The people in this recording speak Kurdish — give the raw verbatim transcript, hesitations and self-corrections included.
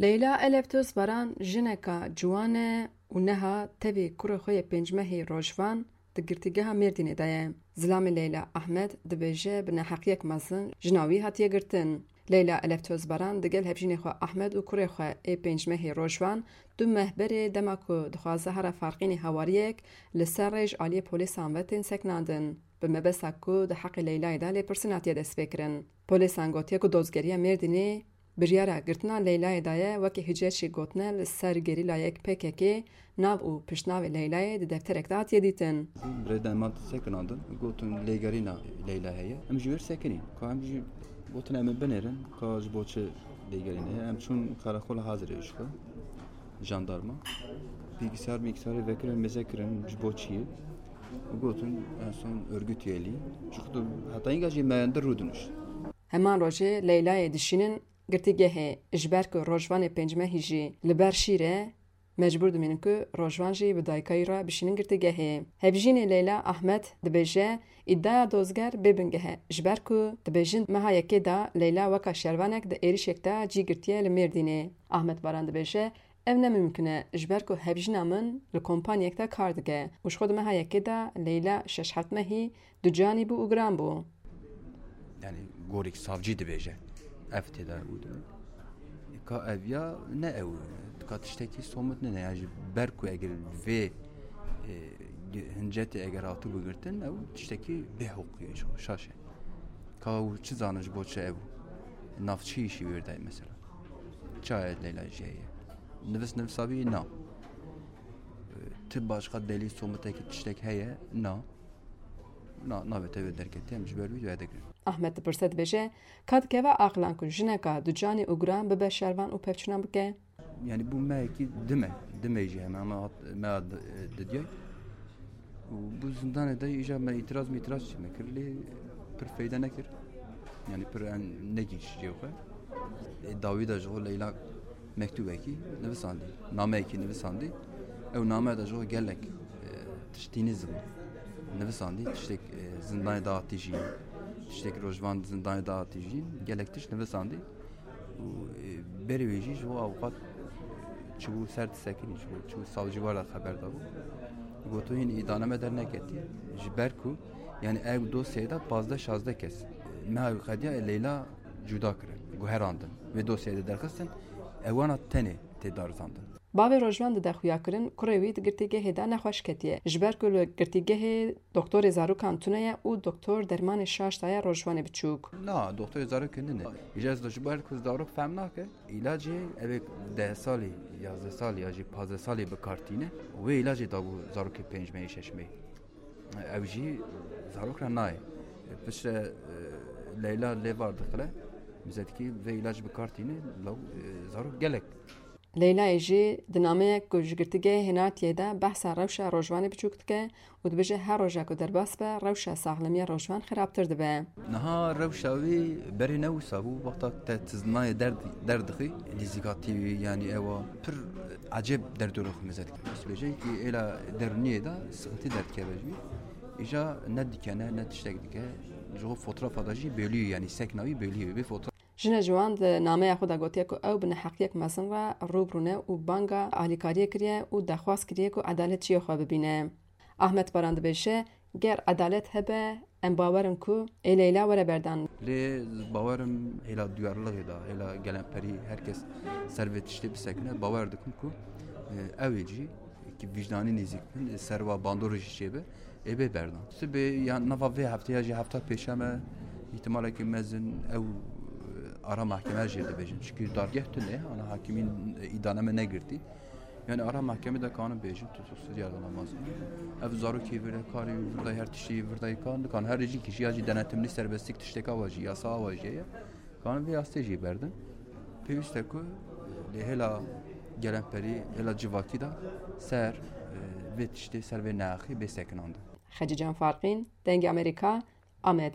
Leyla Eleftos Baran jineka ciwan e û neha tevî kurê xwe yê pênc mehî Rojvan di girtîgeha Mêrdînê de ye. Zilamê Leyla Ahmed dibêje bi neheqiyek mezin jina wî hatiye girtin. Leyla Eleftos Baran digel hevjînê xwe Ahmed û kurê xwe ê pênc mehî Rojvan du meh berê dema ku dixwaze here Farqînê hawariyek li ser rê ji aliyê polîsan ve tên sekinandin. Bi mebesta ku di heqê Leylayê de lêpirsîn hatiye destpêkirin. Polîsan gotiye ku dozgeriya Mêrdînê biryara girtina Leylayê daye, wekî hicet jî gotine li ser gerîlayek P K K nav û piştnavê Leylayê di defterek de hatiye dîtin. Birêda me sekinandin, gotin lêgerîna Leyla heye. Em ji wêr sekinîn. Ka em jî gotin em ê binêrin, ka ji bo çi lêgerîne. Em çûn karakola hazirê ji xwe, jandarma. Bilgisayar, bilgisayarê vekirin, mêze kirin, ji bo çi ye? Gotin, en son örgüt üyeliği. Ji xwe heta înga jî me endir rûdinişt. Heman rojê Leylayê dişînin girtîgehê, ji ber ku Rojvanê pêncmehî jî li ber şîr e, mecbûr dimînin ku Rojvan jî bi dayika wî re bişînin girtîgehê. Hevjînê Leyla Ahmed dibêje, îdaya dozger bê bingeh e, ji ber ku dibêjin meha yekê de Leyla weka şervanek di êrişek de cî girtiye li Mêrdînê. Ahmed Baran dibêje, ev ne mimkun e, ji ber ku hevjîna min li kompanyek de kar dike û ji xwe di meha yekê de Leyla şeş heft mehî ducanî bû û giran bû. Yani gorîk savcî dibêje. Ev tê de û dibê. Ka ev ya ne ew. Ka tiştekî somut nine. Yani ji ber ku eger vê, e, hincetê eger hatibû girtin, ew tiştekî bêhuqî ye, şaş e. Ka ew çi zanin ji bo çi ew? Nav çi îşî wê de mesela? Çaye Leyla jî heye. Nivis nivisa wî na. E, ti başqa delîl somutekî tiştek heye? Na. Na, navê te wê derketî, em ji ber wî duaya digirin. Ahmed dipirse dibêje, ka dikeve aqilan ku jineka ducanî û giran bibe şervan û pevçûnan bike? Yani bû mehekî dime, dime jî heme, heme hat, me hat, e, didyay. Û bû zindanê de îja me îtiraz mîtiraz çi me kir, lê pir feyde nekir. Yani pir en negîş jê xwe. E, dawî de ji xwe Leyla mektûbekî nivisandî, nameyekî nivisandî. Ew name de ji xwe gelek, e, tiştî nizim nivisandî. Tiştek, e, zindanê dahatî jî, tiştek Rojvan zindanê dahatî jî gelek tişt nivisandî. Û, e, berê wê jî ji bo avûkat çibû ser disekinî, çibû, çibû savcî war de xeber dabû. Goto hîn îdaname derneketî. Ji ber ku, yani ev dosyayê de pazdeh şazdeh kes, e, meha qediya Leyla cuda kirin, guherandin. Vê dosyayê de derxistin, ewana tenê tê darizandin. Bavê Rojvan dide xuyakirin, kurê wî di girtîgehê de nexweş ketiye. Ji ber ku li girtîgehê doktorê zarokan tune ye û doktor dermanê şaş daye Rojvanê biçûk. Na, doktorê zarokê nine. Îca ez ji ber ku zarok fehm nake, îlacê ev ê deh salî, yazdeh salî ya jî pazdeh salî bi kar tîne. Wê îlacê dabû zarokê pênc mehî, şeş mehî. Ew jî zarok re nayê. Piştre, e, Leyla lê var dixile. Mizetkî vê îlac bi kar tîne, law, e, zarok gelek. Leylayê jî di nameyek ku ji girtîgehê hênatiye de behsa rewşa Rojvanê biçûk dike û dibêje her roja ku derbas be, rewşa saxlemiya Rojvan xirabtir dibe. Niha rewşa wî berê ne wisa bû, wexta te tiznayê derd, derdixî, nîzîkatî wî, yanî ewa pir ecêb derdorê xwe mêze dike. Bêje ki êla derûniyê de sıkıntı derdikeve jî. Îja ne dikene, ne tiştek dike. Ji xwe fotoğrafa de jî bêlî, yanî sekna wî bêlî. Vê fotoğraf Jina ciwan di nameya xwe de gotiye ku ew bi neheqiyek mezin re rû bi rû ne û banga alîkariyê kiriye û daxwaz kiriye ku edalet cihê xwe bibîne. Ahmet Baran dibêje, ger edalet hebe, em bawer in ku ê Leyla were berdan. Lê bawer im hêla duyarliliğê de, hêla gelemperî her kes ser vê tiştê bisekine, bawer dikim ku, e, ew ê jî ki vicdanî nêzîk bin, ser wa bandorê jî çêbe, ê bê berdan. Sibê ya nava vê heftê ya jî hefta pêşeme, îhtimalekî mezin ew, e, ara mahkeme jê dibêjin. Çikî dargeh tune, ana hakimîn, e, îdane me negirtî. Yani ara mahkeme de kanim bêjin, tutuksuz yargılanmaz. Ev zarokî vir de karî vir de her tiştî vir de kan, dikan her jî kişi ya jî denetimli serbestlik tişteka wa jî, yasa wa jî ye. Kanin vê astê jî berdin. Pêwîst e ku lê hêla gelemperî, hêla civakî de ser, e, vê tiştê, ser vê neaxî bê sekinandin. Xecîcan Farqîn, Dengê Amerîka, Amed.